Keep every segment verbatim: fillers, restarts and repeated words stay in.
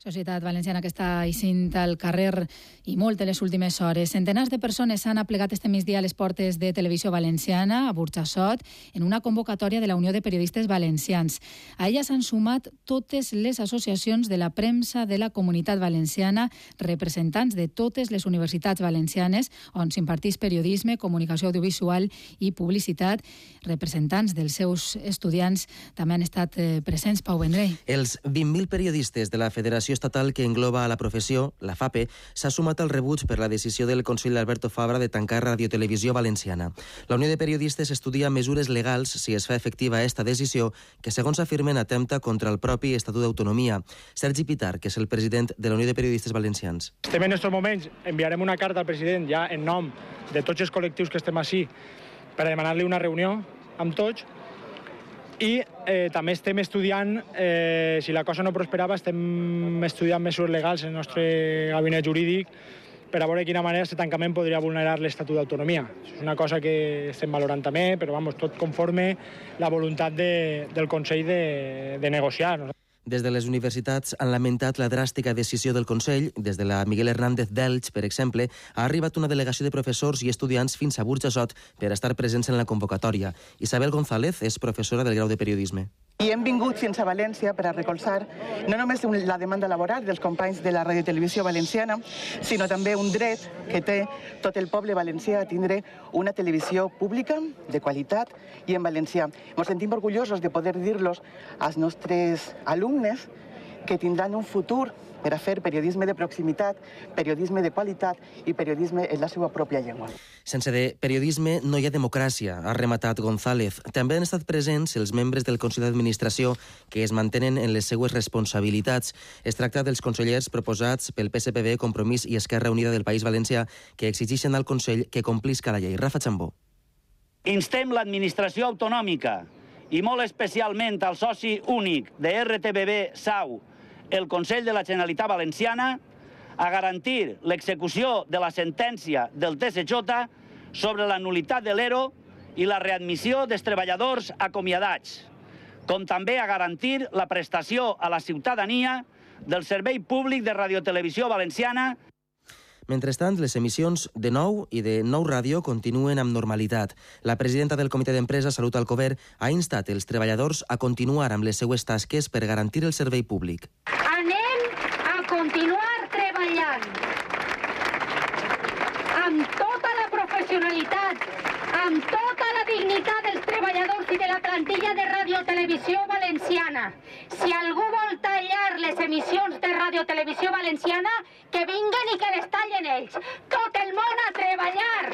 Societat valenciana que està eixint al carrer i molt en les últimes hores. Centenars de persones s'han aplegat este migdia a les portes de Televisió Valenciana, a Burjassot, en una convocatòria de la Unió de Periodistes Valencians. A ella s'han sumat totes les associacions de la premsa de la Comunitat Valenciana, representants de totes les universitats valencianes on s'imparteix periodisme, comunicació audiovisual i publicitat. Representants dels seus estudiants també han estat presents. Pau Vendrell. Els vint mil periodistes de la Federació Estatal que engloba a la professió, la FAPE, s'ha sumat al rebuig per la decisió del Consell d'Alberto Fabra de tancar Radiotelevisió Valenciana. La Unió de Periodistes estudia mesures legals si es fa efectiva esta decisió, que segons afirmen atempta contra el propi Estatut d'Autonomia. Sergi Pitar, que és el president de la Unió de Periodistes Valencians. Estem en aquests moments, enviarem una carta al president ja en nom de tots els col·lectius que estem així per a demanar-li una reunió amb tots. I eh, també estem estudiant, eh, si la cosa no prosperava, estem estudiant mesures legals en el nostre gabinet jurídic per a veure de quina manera aquest tancament podria vulnerar l'Estatut d'Autonomia. És una cosa que estem valorant també, però vamos, tot conforme la voluntat de, del Consell de, de negociar. No? Des de les universitats han lamentat la dràstica decisió del Consell. Des de la Miguel Hernández d'Elx, per exemple, ha arribat una delegació de professors i estudiants fins a Burjassot per estar presents en la convocatòria. Isabel González és professora del grau de Periodisme. I hem vingut fins a València per a recolzar no només la demanda laboral dels companys de la Radiotelevisió Valenciana, sinó també un dret que té tot el poble valencià a tindre una televisió pública, de qualitat i en valencià. Ens sentim orgullosos de poder dir-los als nostres alumnes que tindran un futur per a fer periodisme de proximitat, periodisme de qualitat i periodisme en la seva pròpia llengua. Sense de periodisme no hi ha democràcia, ha rematat González. També han estat presents els membres del Consell d'Administració que es mantenen en les seues responsabilitats. Es tracta dels consellers proposats pel P S P B, Compromís i Esquerra Unida del País Valencià que exigeixen al Consell que complisca la llei. Rafa Chambó. Instem l'administració autonòmica i molt especialment al soci únic de R T B B Sau, el Consell de la Generalitat Valenciana, a garantir l'execució de la sentència del T S J sobre la nul·litat de l'E R O i la readmissió dels treballadors acomiadats, com també a garantir la prestació a la ciutadania del servei públic de Radiotelevisió Valenciana. Mentrestant, les emissions de Nou i de Nou Ràdio continuen amb normalitat. La presidenta del Comitè d'Empresa, Salut Alcover, ha instat els treballadors a continuar amb les seues tasques per garantir el servei públic. Anem a continuar treballant amb tota la professionalitat, amb tota la dignitat dels treballadors i de la plantilla de Radiotelevisió Valenciana. Si algú vol tallar les emissions de Radiotelevisió Valenciana, que vinguen i que les tallen ells. Tot el món a treballar!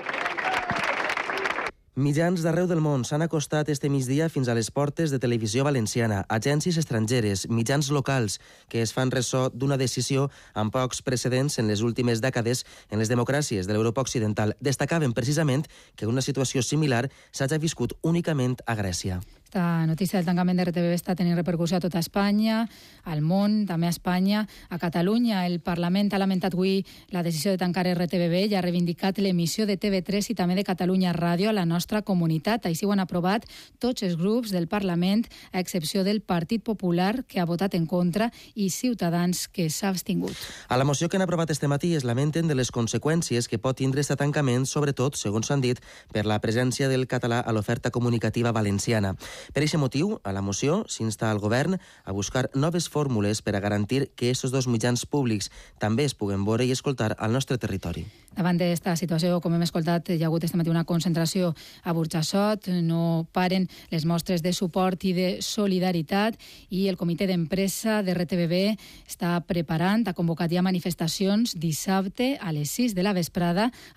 Mitjans d'arreu del món s'han acostat este migdia fins a les portes de Televisió Valenciana, agències estrangeres, mitjans locals, que es fan ressò d'una decisió amb pocs precedents en les últimes dècades en les democràcies de l'Europa Occidental. Destacaven precisament que una situació similar s'hagi viscut únicament a Grècia. Esta notícia del tancament de R T B B està tenint repercussió a tota Espanya, al món, també a Espanya, a Catalunya. El Parlament ha lamentat avui la decisió de tancar R T B B i ha reivindicat l'emissió de T V tres i també de Catalunya Ràdio a la nostra comunitat. Així ho han aprovat tots els grups del Parlament, a excepció del Partit Popular, que ha votat en contra, i Ciutadans, que s'ha abstingut. A la moció que han aprovat este matí es lamenten de les conseqüències que pot tindre aquest tancament, sobretot, segons s'han dit, per la presència del català a l'oferta comunicativa valenciana. Per aquest motiu, a la moció s'insta al govern a buscar noves fórmules per a garantir que aquests dos mitjans públics també es puguen veure i escoltar al nostre territori. Davant d'esta situació, com hem escoltat, hi ha hagut este matí una concentració a Burjassot, no paren les mostres de suport i de solidaritat i el comitè d'empresa de R T B B està preparant, ha convocat ja manifestacions dissabte a les sis de la vesprada